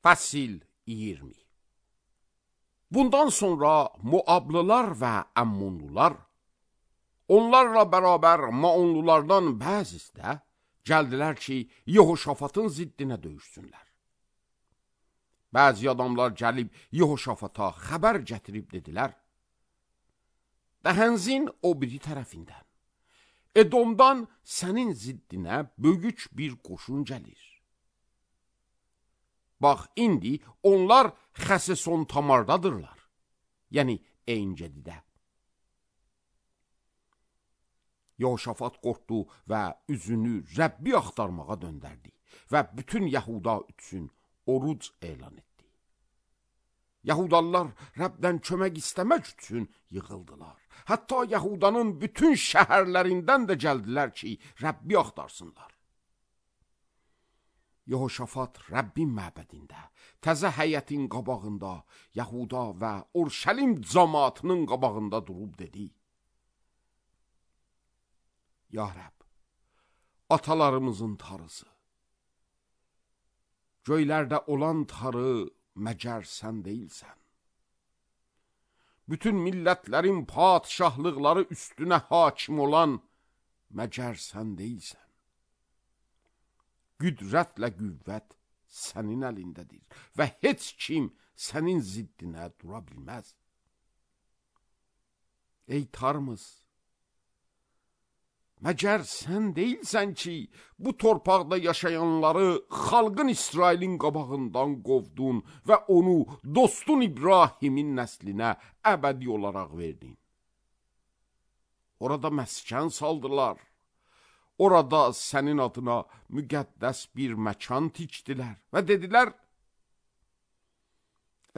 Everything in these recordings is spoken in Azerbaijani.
Fəsil 20. Bundan sonra Moablılar və Əmmonlular, onlarla bərabər Maonlulardan bəzisi də gəldilər ki, Yehoşafatın ziddinə döyüşsünlər. Bəzi adamlar gəlib Yehoşafata xəbər gətirib dedilər, Dəhənzin o biri tərəfindən, Edomdan sənin ziddinə böyük bir qoşun gəlir. Bax, indi onlar Xəseson Tamardadırlar, yəni Eyncədidə. Yehoşafat qorxdu və üzünü Rəbbi axtarmağa döndərdi və bütün Yahuda üçün oruc elan etdi. Yahudalılar Rəbdən kömək istəmək üçün yığıldılar. Hətta Yahudanın bütün şəhərlərindən də gəldilər ki, Rəbbi axtarsınlar. Yehoşafat Rəbbin məbədində, təzə həyətin qabağında, Yahuda və Urşəlim cəmaatının qabağında durub dedi, Ya Rəbb, atalarımızın tarısı, göylərdə olan tarı məgər sən deyilsən. Bütün millətlərin padişahlıqları üstünə hakim olan məgər sən deyilsən. Qüdrətlə qüvvət sənin əlindədir və heç kim sənin ziddinə dura bilməz. Ey tarımız, məgər sən deyilsən ki, bu torpaqda yaşayanları xalqın İsrailin qabağından qovdun və onu dostun İbrahimin nəslinə əbədi olaraq verdin. Orada məskən saldılar. Orada sənin adına müqəddəs bir məkan tikdilər və dedilər,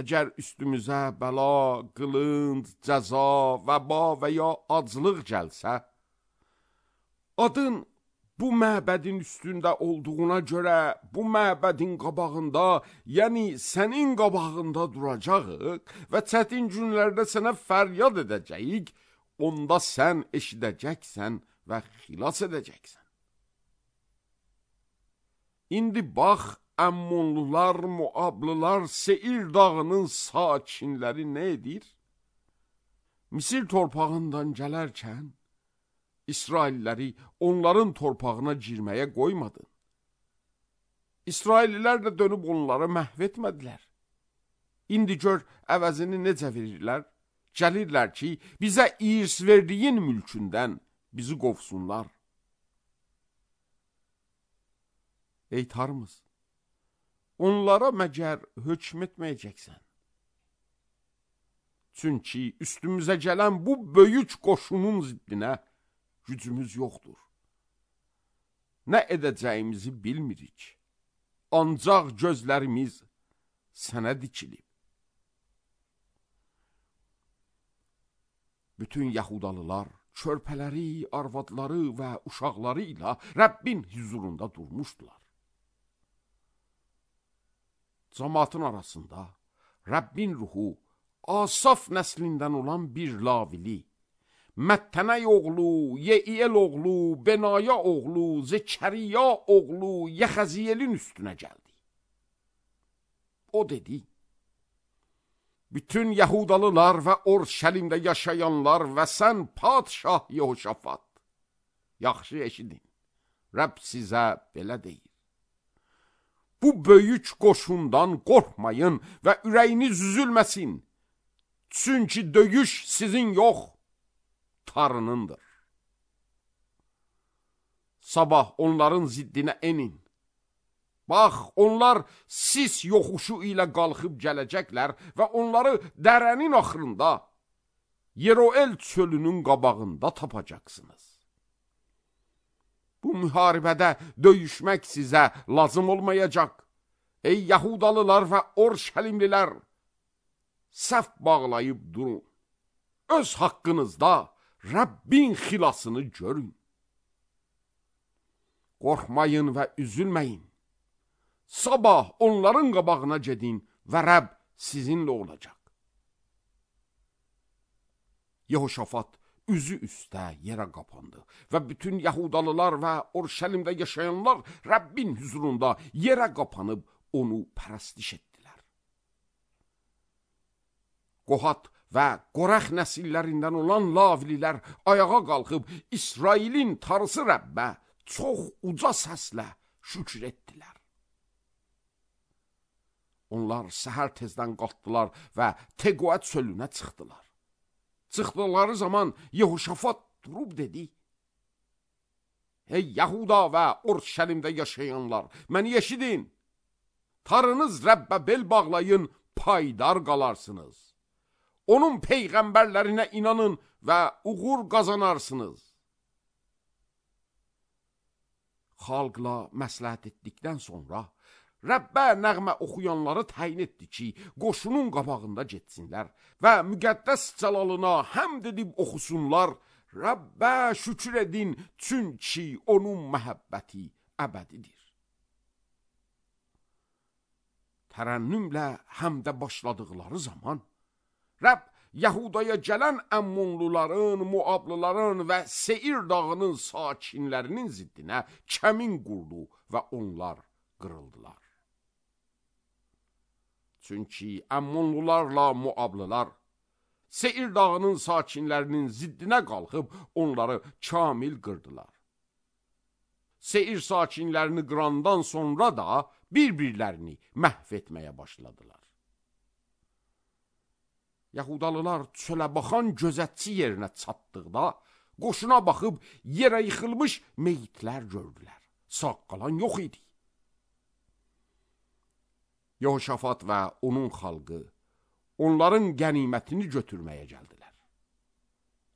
əgər üstümüzə bəla, qılınc, cəza, vəba və ya aclıq gəlsə, adın bu məbədin üstündə olduğuna görə bu məbədin qabağında, yəni sənin qabağında duracağıq və çətin günlərdə sənə fəryad edəcəyik, onda sən eşidəcəksən və xilas edəcəksən. İndi bax, Əmmonlular, Moablılar, Seir dağının sakinləri nə edir? Misir torpağından gələrkən, İsrailləri onların torpağına girməyə qoymadın. İsraillilər də dönüb onları məhv etmədilər. İndi gör, əvəzini necə verirlər? Gəlirlər ki, bizə irs verdiyin mülkündən bizi qovsunlar. Ey tarımız, onlara məgər hökm etməyəcəksən? Çünki üstümüzə gələn bu böyük qoşunun ziddinə gücümüz yoxdur. Nə edəcəyimizi bilmirik. Ancaq gözlərimiz sənə dikilib. Bütün Yahudalılar körpələri, arvadları və uşaqları ilə Rəbbin huzurunda durmuşdular. Cəmaatın arasında Rəbbin ruhu Asaf nəslindən olan bir lavili, Məttənəy oğlu, Yeiyel oğlu, Benaya oğlu, Zekəriya oğlu, Yəxəziyelin üstünə gəldi. O dedi, bütün Yahudalılar və Urşəlimdə yaşayanlar və sən padişah Yehoşafat, yaxşı eşidin, Rəbb sizə belə deyir. Bu böyük qoşundan qorxmayın və ürəyiniz üzülməsin, çünki döyüş sizin yox, tarınındır. Sabah onların ziddinə enin. Bax, onlar sis yoxuşu ilə qalxıb gələcəklər və onları dərənin axırında, Yeroel çölünün qabağında tapacaqsınız. Bu müharibədə döyüşmək sizə lazım olmayacaq. Ey Yahudalılar və Urşəlimlilər, səf bağlayıb durun. Öz haqqınızda Rəbbin xilasını görün. Qorxmayın və üzülməyin. Sabah onların qabağına gedin və Rəbb sizinlə olacaq. Yehoşafat üzü üstə yerə qapandı və bütün Yahudalılar və Urşəlimdə yaşayanlar Rəbbin huzurunda yerə qapanıb onu pərəstiş etdilər. Qohat və Qorəx nəsillərindən olan Lavililər ayağa qalxıb İsrailin tarısı Rəbbə çox uca səslə şükür etdilər. Onlar səhər tezdən qalxdılar və Teqoət çölünə çıxdılar. Çıxdıqları zaman Yehoşafat durub dedi: Ey Yahuda və Urşəlimdə yaşayanlar, məni eşidin. Tarınız Rəbbə bel bağlayın, paydar qalarsınız. Onun peyğəmbərlərinə inanın və uğur qazanarsınız. Xalqla məsləhət etdikdən sonra Rəbbə nəğmə oxuyanları təyin etdi ki, qoşunun qabağında getsinlər və müqəddəs cəlalına həmd edib oxusunlar. Rəbbə şükür edin, çünki onun məhəbbəti əbədidir. Tərənnümlə həmdə başladıqları zaman Rəbb Yahudaya gələn Əmmonluların, Moablıların və Seir dağının sakinlərinin ziddinə kəmin qurdu və onlar qırıldılar. Çünki Əmmonlularla Moablılar Seir dağının sakinlərinin ziddinə qalxıb onları kamil qırdılar. Seir sakinlərini qırandan sonra da bir-birlərini məhv etməyə başladılar. Yahudalılar çölə baxan gözətçi yerinə çatdıqda qoşuna baxıb yerə yıxılmış meyitlər gördülər. Sağ qalan yox idi. Yehoşafat və onun xalqı onların qənimətini götürməyə gəldilər.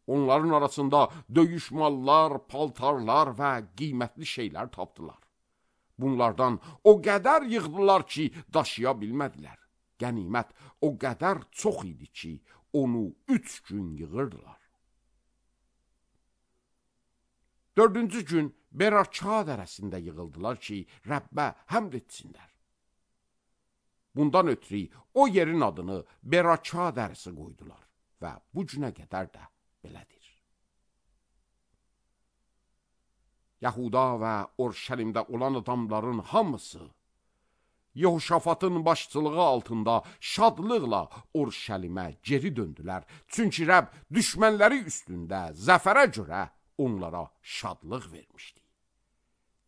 Onların arasında döyüş mallar, paltarlar və qiymətli şeylər tapdılar. Bunlardan o qədər yığdılar ki, daşıya bilmədilər. Qənimət o qədər çox idi ki, onu 3 gün yığırdılar. 4-cü gün Beraka dərəsində yığıldılar ki, Rəbbə həmd etsinlər. Bundan ötürü o yerin adını Beraka dərisi qoydular və bu günə qədər də belədir. Yahuda və Urşəlimdə olan adamların hamısı Yehoşafatın başçılığı altında şadlıqla Urşəlimə geri döndülər. Çünki Rəbb düşmənləri üstündə zəfərə görə onlara şadlıq vermişdi.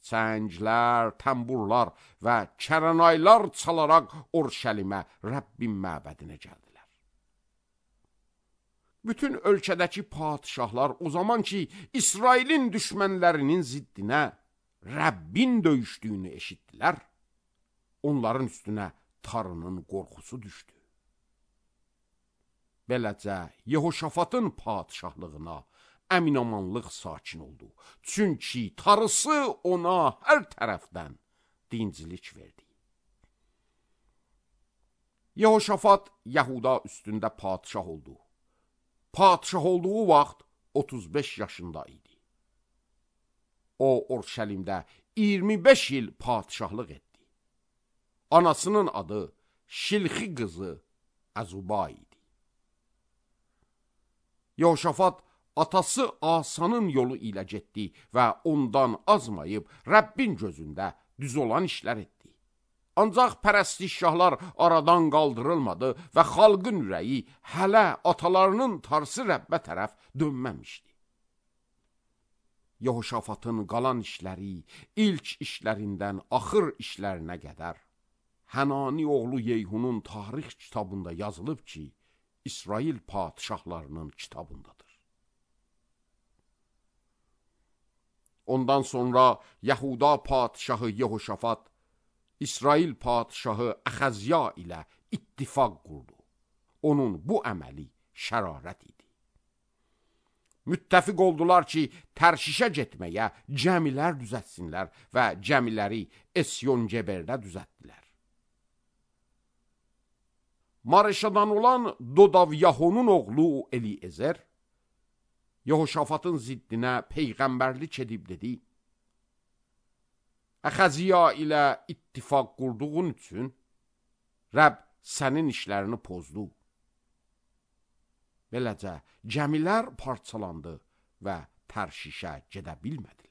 Çənglər, təmburlar və kərənaylar çalaraq Urşəlimə, Rəbbin məbədinə gəldilər. Bütün ölkədəki padişahlar o zaman ki, İsrailin düşmənlərinin ziddinə Rəbbin döyüşdüyünü eşitdilər, onların üstünə tarının qorxusu düşdü. Beləcə, Yehoşafatın padişahlığına əminamanlıq sakin oldu. Çünki tarısı ona hər tərəfdən dincilik verdi. Yehoşafat Yahuda üstündə padişah oldu. Padişah olduğu vaxt 35 yaşında idi. O, Urşəlimdə 25 il padişahlıq etdi. Anasının adı Şilxi qızı Əzuba idi. Yehoşafat atası Asanın yolu ilə getdi və ondan azmayıb Rəbbin gözündə düz olan işlər etdi. Ancaq pərəstişgahlar aradan qaldırılmadı və xalqın ürəyi hələ atalarının tarsı Rəbbə tərəf dönməmişdi. Yehoşafatın qalan işləri, ilk işlərindən axır işlərinə qədər Hənani oğlu Yeyhunun tarix kitabında yazılıb ki, İsrail padişahlarının kitabındadır. Ondan sonra Yahuda padişahı Yehoşafat, İsrail padişahı Əxəzya ilə ittifaq qurdu. Onun bu əməli şərarət idi. Müttəfiq oldular ki, Tərşişə getməyə cəmilər düzətsinlər və cəmiləri Esyon-Geberdə düzətdilər. Mareşadan olan Dodavyahonun oğlu Eliezer, Yehoşafatın ziddinə peyğəmbərlik edib dedi: Əxəziya ilə ittifaq qurduğun üçün Rəbb sənin işlərini pozdu. Beləcə, cəmilər parçalandı və Tərşişə gedə bilmədilər.